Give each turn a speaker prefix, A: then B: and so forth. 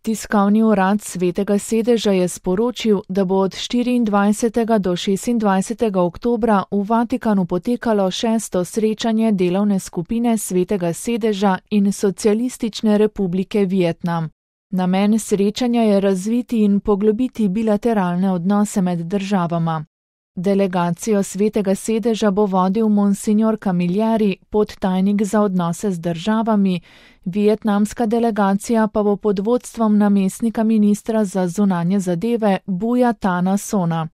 A: Tiskovni urad Svetega sedeža je sporočil, da bo od 24. do 26. oktobra v Vatikanu potekalo 6. srečanje delovne skupine Svetega sedeža in Socialistične republike Vietnam. Namen srečanja je razviti in poglobiti bilateralne odnose med državama. Delegacijo Svetega sedeža bo vodil monsignor Camilleri, podtajnik za odnose z državami, vietnamska delegacija pa bo pod vodstvom namestnika ministra za zunanje zadeve Buja Tana Sona.